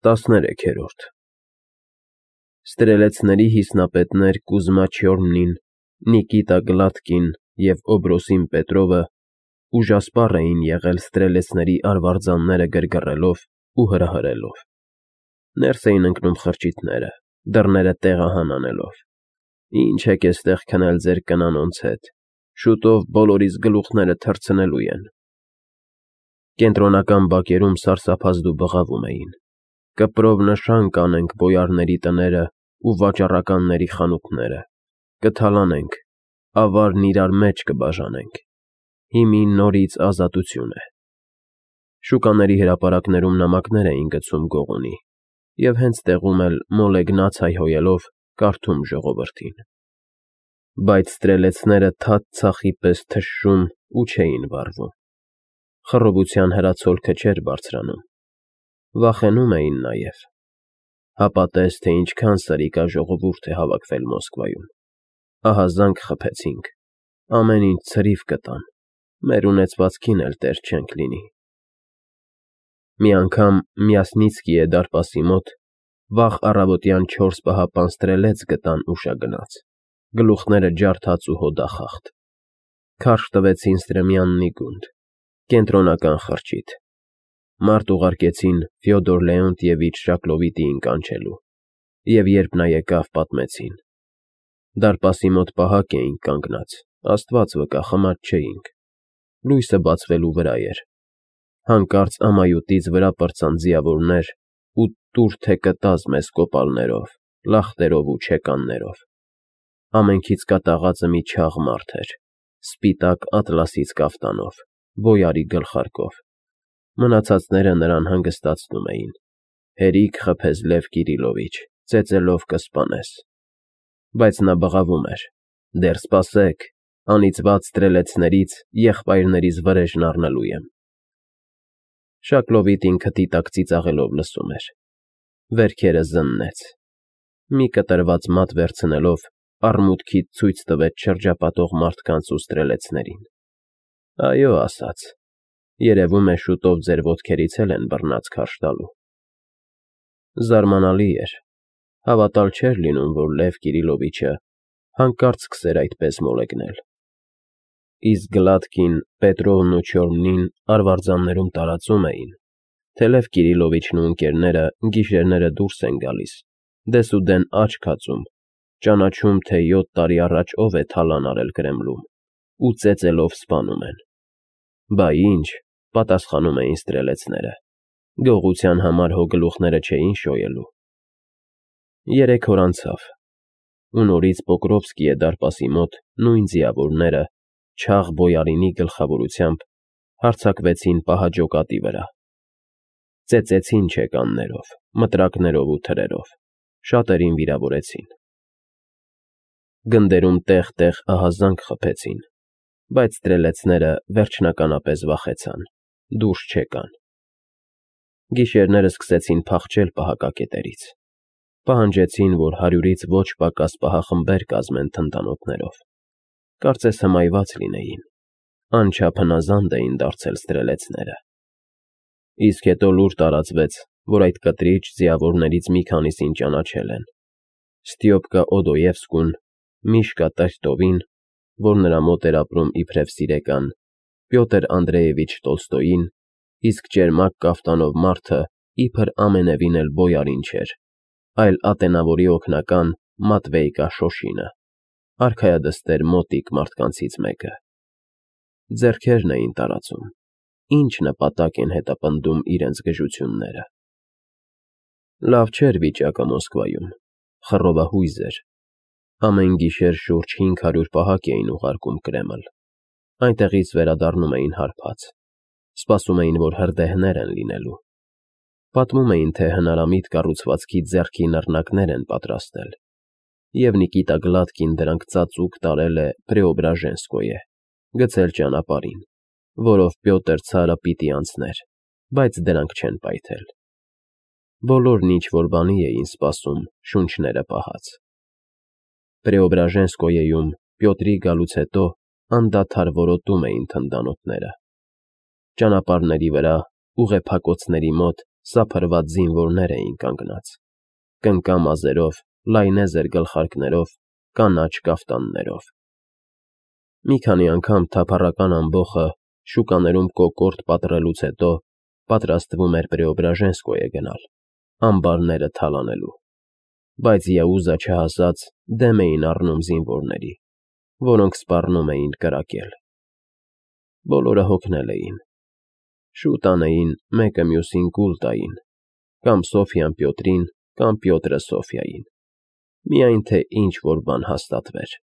13-րդ Ստրելեցների հիսնապետներ Կուզմա Չյորնին, Նիկիտա Գլատկին և Օբրոսին Պետրովը ուժասպառ էին եղել ստրելեցների արվարձանները գրգռելով ու հրահրելով. ներս էին ընկնում խրճիթները, դռները տեղահան անելով. Ինչ եք էստեղ քնել ձեր կնանոնց հետ, շուտով բոլորիս գլուխները թռցնելու են։ Կենտրոնական բակերում սարսափազդու բղավում էին. կպրով նշան կանենք բոյարների տները ու վաճառականների խանութները, կթալանենք, ավարն իրար մեջ կբաժանենք, հիմի նորից ազատություն է։ Շուկաների հրապարակներում նամակներ էին գցում Գողունի և հենց տեղում էլ մոլեգնաց հայհոյելով կարդում ժողովրդին։ Բայց ստրելեցները թաթ ցախի պես թշշում ու չէին վառվում։ Խռովության հրացոլքը չէր բարձրանում։ Վախենում էին նաև։ Հապա տես, թե ինչքան սրիկա ժողովուրդ է հավաքվել Մոսկվայում։ Ահազանգ խփեցինք, ամեն ինչ ցրիվ կտան, մեր ունեցվածքին էլ տեր չենք լինի։ Մի անգամ Մյասնիցկիե դարպասի մոտ վաղ առավոտյան 4 պահապան ստրելեց գտան ուշագնաց, գլուխները ջարդած ու հոդախախտ։ Քարշ տվեցին Ստրեմյաննի գունդ, կենտրոնական խրճիթ։ Մարդ ուղարկեցին Ֆյոդոր Լեոնտիևիչ Շակլովիտիին կանչելու, և երբ նա եկավ, պատմեցին. դարպասի մոտ պահակ էինք կանգնած, Աստված վկա, խմած չէինք, լույսը բացվելու վրա էր, հանկարծ ամայութից վրա պրծան ձիավորներ ու տուր թե կտազ մեզ կոպալներով, լախտերով ու չեկաններով։ Ամենքից կատաղածը մի չաղ մարդ էր, սպիտակ ատլասից կաֆտանով, բոյարի գլխարկով։ Մնացածները նրան հանգստացնում էին. հերիք խփես Լև Կիրիլովիչ, ծեծելով կսպանես։ Բայց նա բղավում էր. դեռ սպասեք, անիծված ստրելեցներից եղբայրներիս վրեժն առնելու եմ։ Շակլովիտին քթի տակ ծիծաղելով լսում էր։ Վերքերը զննեց։ Մի կտրված մատ վերցնելով արմունկից ցույց տվեց շրջապատող մարդկանց ու ստրելեցներին։ Այո, ասաց, երևում է շուտով ձեր ոտքերից էլ են բռնած քարշ տալու։ Զարմանալի էր, հավատալ չէր լինում, որ Լև Կիրիլովիչը հանկարծ սկսեր այդպես մոլեգնել։ Իսկ Գլատկին, Պետրովն ու Չյորնին արվարձաններում տարածում էին, թե Լև Կիրիլովիչն ու ընկերները գիշերները դուրս են գալիս, դեսուդեն աչք հացում, ճանաչում, թե 7 տարի առաջ ով է թալան արել Կրեմլում, ու ծեծելով սպանում են։ Բա ինչ, պատասխանում էին ստրելեցները, գողության համար հո գլուխները չէին շոյելու։ 3 օր անցավ, ու նորից Պոկրովսկիե դարպասի մոտ նույն ձիավորները չաղ բոյարինի գլխավորությամբ հարձակվեցին պահաջոկատի վրա։ Ծեծեցին չեկաններով, մտրակներով ու թրերով, շատերին վիրավորեցին։ Գնդերում տեղ-տեղ ահազանգ խփեցին, բայց ստրելեցները վերջնականապես վախեցան, դուրս չեկան։ Գիշերները սկսեցին փախչել պահակակետերից։ Պահանջեցին, որ 100-ից ոչ պակաս պահախմբեր կազմեն թնդանոթներով։ Կարծես հմայված լինեին, անչափ հնազանդ էին դարձել ստրելեցները։ Իսկ հետո լուր տարածվեց, որ այդ կտրիչ ձիավորներից մի քանիսին ճանաչել են. Ստյոպկա Օդոևսկուն, Միշկա Տրետովին, որ նրա մոտ էր ապրում իբրև սիրեկան, Պյոտր Անդրեևիչ Տոլստոյին, իսկ ճերմակ կաֆտանով մարդը իբր ամենևին էլ բոյարին չէր, այլ ատենավորի օգնական Մատվեյկա Շոշինը, արքայադստեր մոտիկ մարդկանցից մեկը։ Ձեռքերն էին տարածում, ինչ նպատակ են հետապնդում իրենց գժությունները։ Լավ չէր վիճակը Մոսկվայում, խռովահույզ էր։ Ամեն գիշեր շուրջ 500 պահակ էին ուղարկում Կրեմլ, այնտեղից վերադառնում էին հարբած, սպասում էին, որ հրդեհներ են լինելու։ Պատմում էին, թե հնարամիտ կառուցվածքի ձեռքի նռնակներ են պատրաստել, և Նիկիտա Գլատկին դրանք ծածուկ տարել է Պրեոբրաժենսկոյե, գցել ճանապարհին, որով Պյոտր Ցարը պիտի անցներ, բայց դրանք չեն պայթել։ Բոլորն ինչ-որ բանի էին սպասում, շունչները պահած։ Պրեոբրաժենսկոյեում Պյոտրի գալուց հետո անդադար որոտում էին թնդանոթները։ Ճանապարհների վրա, ուղեփակոցների մոտ սափրված զինվորներ էին կանգնած, կնկա մազերով, լայնեզր գլխարկներով, կանաչ կաֆտաններով։ Մի քանի անգամ թափառական ամբոխը շուկաներում կոկորդ պատռելուց հետո պատրաստվում էր Պրեոբրաժենսկոյե գնալ, ամբարները թալանելու, բայց Յաուզը չհասած դեմ էին առնում զինվորների, որոնք սպառնում էին կրակել։ Բոլորը հոգնել էին, շուտ անեին մեկը մյուսին կուլ տային, կամ Սոֆյան Պյոտրին, կամ Պյոտրը Սոֆյային, միայն թե ինչ֊որ բան հաստատվեր։